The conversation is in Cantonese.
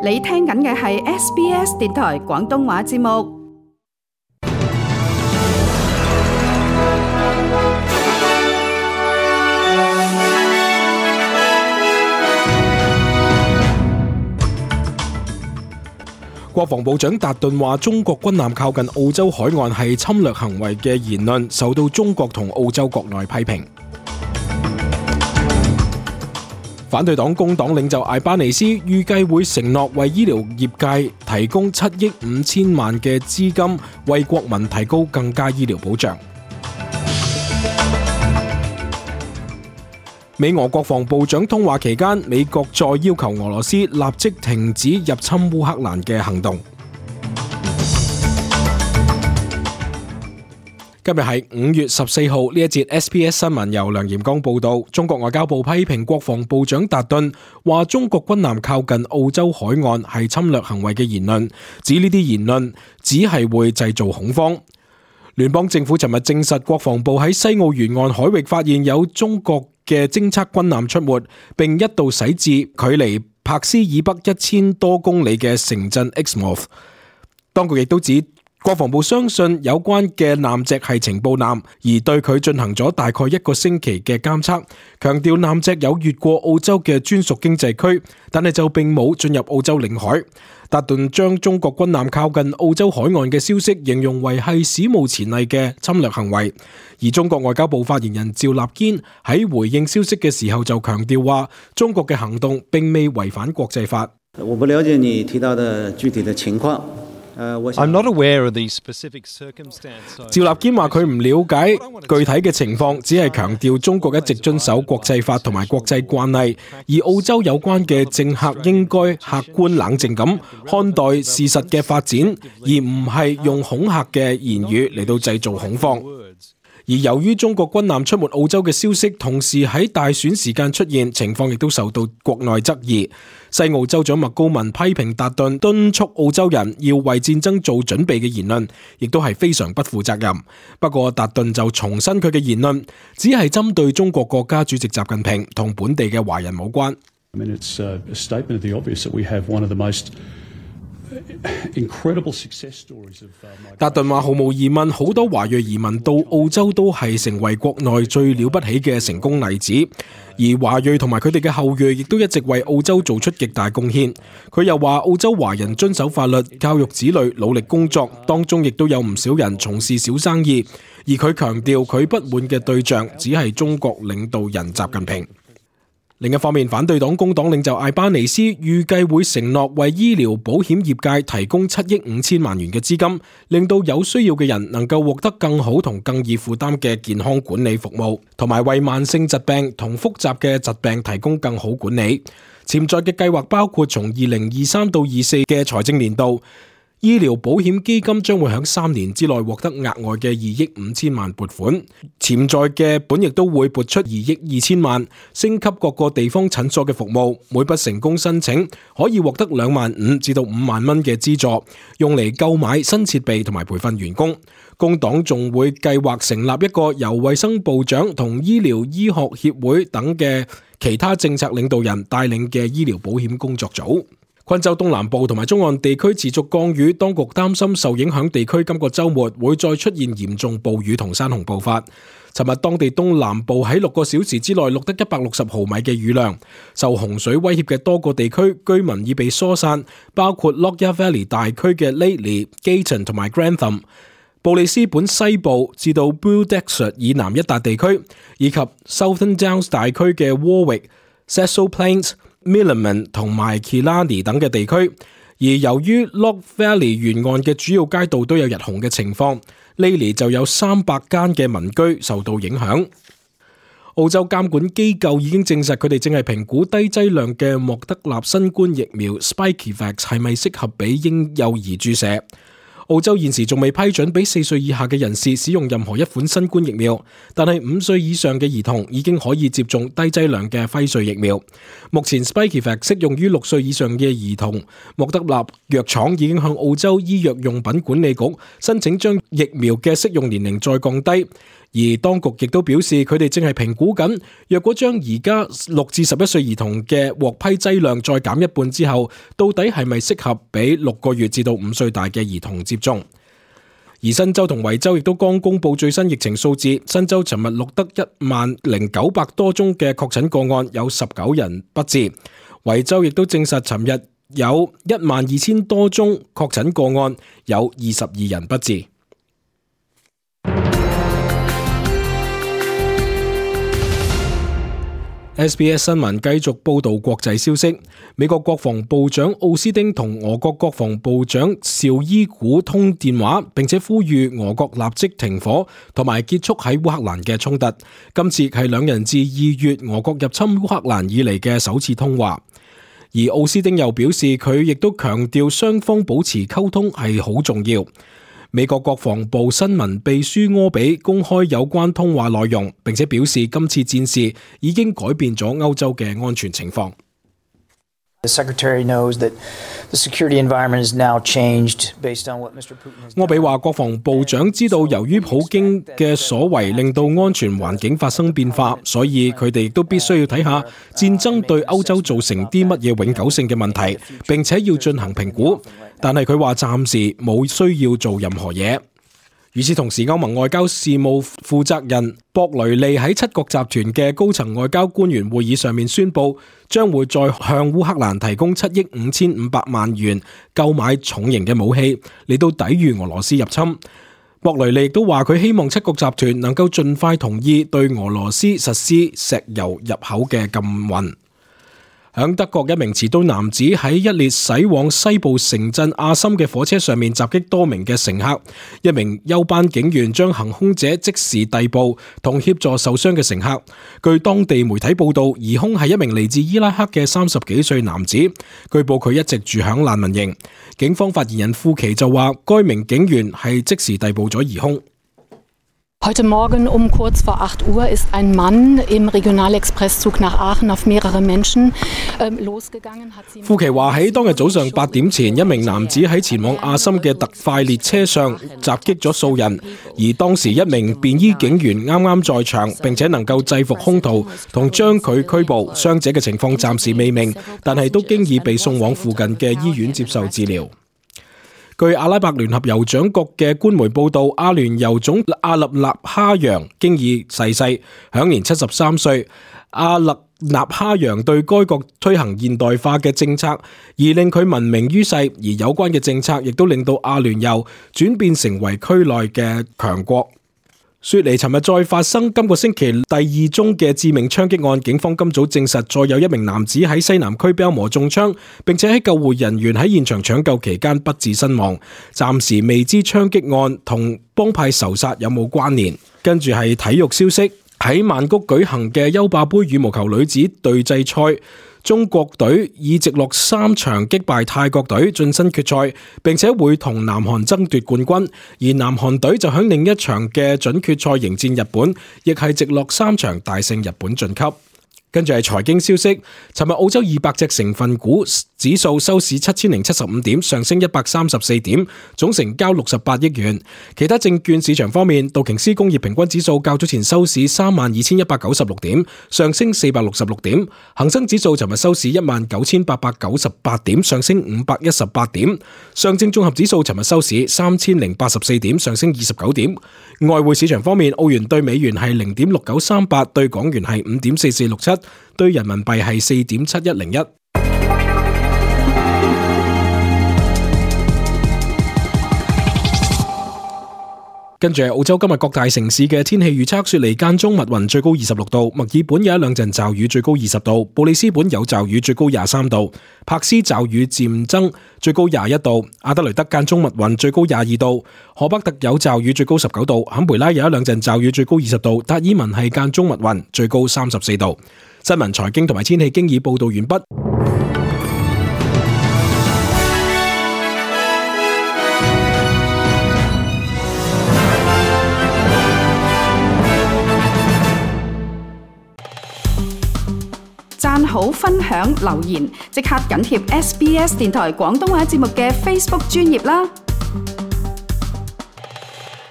你聽緊嘅係 SBS 電台廣東話節目。國防部長達頓話中國軍艦靠近澳洲海岸係侵略行為嘅言論受到中國同澳洲國內批評。反對黨工黨領袖艾巴尼斯預計會承諾為醫療業界提供7億5千萬嘅資金，為國民提高更加醫療保障。美俄國防部長通話期間，美國再要求俄羅斯立即停止入侵烏克蘭嘅行動。今日係5月14號，呢一節 SBS 新聞由梁炎光報道。中國外交部批評國防部長達頓話中國軍艦靠近澳洲海岸係侵略行為嘅言論，指呢啲言論只係會製造恐慌。聯邦政府尋日證實，國防部喺西澳沿岸海域發現有中國嘅偵測軍艦出沒，並一度駛至距離柏斯以北1000多公里嘅城鎮 Exmouth。當局亦都指國防部相信有關嘅艦隻係情報艦，而對佢進行咗大概1個星期嘅監測，強調艦隻有越過澳洲嘅專屬經濟區，但係就並冇進入澳洲領海。達頓將中國軍艦靠近澳洲海岸嘅消息形容為係史無前例嘅侵略行為，而中國外交部發言人趙立堅喺回應消息嘅時候就強調話，中國嘅行動並未違反國際法。我不了解你提到的具體的情況。I'm not aware of the specific circumstance. 趙立堅話佢唔了解具體嘅情況，只係強調中國一直遵守國際法同埋國際慣例，而澳洲有關嘅政客應該客觀冷靜咁看待事實嘅發展，而唔係用恐嚇嘅言語嚟到製造恐慌。而由於中國軍艦出沒澳洲嘅消息同時喺大選時間出現，情況亦都受到國內質疑。西澳州長麥高文批評達頓敦促澳洲人要為戰爭做準備嘅言論，亦都係非常不負責任。不過達頓就重申佢嘅言論只係針對中國國家主席習近平，同本地嘅華人冇關。It's a statement of the obvious that we have one of the most incredible success stories of 達頓話毫無疑問，好多華裔移民到澳洲都係成為國內最了不起嘅成功例子，而華裔同埋佢哋嘅後裔亦都一直為澳洲做出極大貢獻。佢又話澳洲華人遵守法律、教育子女、努力工作，當中亦都有唔少人從事小生意，而佢強調佢不滿嘅對象只係中國領導人習近平。另一方面，反對黨工黨領袖艾巴尼斯預計會承諾為醫療保險業界提供7億5千萬元嘅資金，令到有需要嘅人能夠獲得更好同更易負擔嘅健康管理服務，同埋為慢性疾病同複雜嘅疾病提供更好管理。潛在嘅計劃包括從2023到24嘅財政年度，醫療保險基金將會喺3年之內獲得額外嘅2億5千萬撥款，潛在嘅本亦都會撥出2億2千萬，升級各個地方診所嘅服務。每筆成功申請可以獲得25000至到5萬蚊嘅資助，用嚟購買新設備同埋培訓員工。工黨仲會計劃成立一個由衛生部長同醫療醫學協會等嘅其他政策領導人帶領嘅醫療保險工作組。昆州東南部同埋中岸地區持續降雨，當局擔心受影響地區今個週末會再出現嚴重暴雨同山洪暴發。尋日當地東南部喺6個小時之內錄得160毫米嘅雨量，受洪水威脅嘅多個地區居民已被疏散，包括 Lockyer Valley 大區嘅 Lately、Gayton 同埋 Grantham、布里斯本西部至到 Beaudesert 以南一笪地區，以及 Southern Downs 大區嘅 Warwick、Cecil Plains、Milliman 同埋 Killarney 等嘅地區，而由於 Lock Valley 沿岸嘅主要街道都有日洪嘅情況，呢年就有300間嘅民居受到影響。澳洲監管機構已經證實佢哋正係評估低劑量嘅莫德納新冠疫苗 Spikevax 係咪適合俾嬰幼兒注射。澳洲現時仲未批准俾4歲以下嘅人士使用任何一款新冠疫苗，但係5歲以上嘅兒童已經可以接種低劑量嘅輝瑞疫苗。目前 Spikevax 適用於6歲以上嘅兒童，莫德納藥廠已經向澳洲醫藥用品管理局申請將疫苗嘅適用年齡再降低，而當局亦都表示，佢哋正係評估緊，若果將而家6至11歲兒童嘅獲批劑量再減一半之後，到底係咪適合俾6個月至到5歲大嘅兒童接種。而新州同維州亦都剛公布最新疫情數字，新州尋日錄得10,900多宗嘅確診個案，有19人不治。維州亦都證實尋日有12,000多宗確診個案，有22人不治。SBS 新聞繼續報道國際消息。美國國防部長奧斯汀同俄國國防部長紹伊古通電話，並且呼籲俄國立即停火同埋結束喺烏克蘭嘅衝突。今次係兩人自2月俄國入侵烏克蘭以嚟嘅首次通話。而奧斯汀又表示，佢亦都強調雙方保持溝通係好重要。美國國防部新聞秘書柯比公開有關通話內容，並且表示今次戰事已經改變咗歐洲嘅安全情況。柯比話，國防部長知道由於普京嘅所為令到安全環境發生變化，所以佢哋亦都必須要睇下戰爭對歐洲造成啲乜嘢永久性嘅問題，並且要進行評估。但係佢話暫時冇需要做任何嘢。與此同時，歐盟外交事務負責人博雷利喺7國集團嘅高層外交官員會議上面宣布，將會再向烏克蘭提供7億5500萬元購買重型嘅武器，嚟到抵禦俄羅斯入侵。博雷利亦都話佢希望7國集團能夠盡快同意對俄羅斯實施石油入口嘅禁運。響德國，一名持刀男子喺一列駛往西部城鎮阿森嘅火車上面襲擊多名嘅乘客，一名休班警員將行兇者即時逮捕同協助受傷嘅乘客。據當地媒體報道，疑兇係一名嚟自伊拉克嘅30幾歲男子，據報佢一直住響難民營。警方發言人庫奇就話，該名警員係即時逮捕咗疑兇。Heute Morgen kurz vor 8 Uhr ist ein Mann im Regionalexpresszug nach Aachen auf mehrere Menschen losgegangen. 庫奇話喺當日早上8點前，一名男子喺前往阿森嘅特快列車上襲擊咗數人，而當時一名便衣警員啱啱在場，並且能夠制服兇徒同將佢拘捕。傷者嘅情況暫時未明，但係都經已被送往附近嘅醫院接受治療。據阿拉伯聯合酋長國嘅官媒報道，阿聯酋總阿勒納哈揚經已逝世，享年73歲。阿勒納哈揚對該國推行現代化嘅政策，而令佢聞名於世，而有關嘅政策亦都令到阿聯酋轉變成為區內嘅強國。雪梨尋日再發生今個星期第2宗嘅致命槍擊案，警方今早證實再有一名男子喺西南區被磨中槍，並且喺救護人員喺現場搶救期間不治身亡。暫時未知槍擊案同幫派仇殺有冇關聯。跟住係體育消息，喺曼谷舉行嘅優霸盃羽毛球女子隊際賽，中國隊以直落3場擊敗泰國隊晉身決賽，並且會同南韓爭奪冠軍。而南韓隊就喺另一場嘅準決賽迎戰日本，亦係直落3場大勝日本晉級。跟住係財經消息，尋日澳洲200隻成分股指數收市7075點，上升134點，總成交68億元。其他證券市場方面，道瓊斯工業平均指數較早前收市32,196點，上升466點；恒生指數尋日收市19,898點，上升518點；上證綜合指數尋日收市3,084點，上升29點。外匯市場方面，澳元對美元係0.6938，對港元係5.4467，對人民幣係4.7101。跟住係澳洲今日各大城市嘅天氣預測：雪梨間中密雲，最高26度；墨爾本有一兩陣驟雨，最高20度；布里斯本有驟雨，最高23度；柏斯驟雨漸增，最高21度；阿德雷德間中密雲，最高22度；荷北特有驟雨，最高19度；坎培拉有一兩陣驟雨，最高20度；達爾文係間中密雲，最高34度。新聞、財經同埋天氣經已報道完畢。讚好、分享、留言，即刻緊貼SBS 電台廣東話節目嘅 Facebook 專頁啦！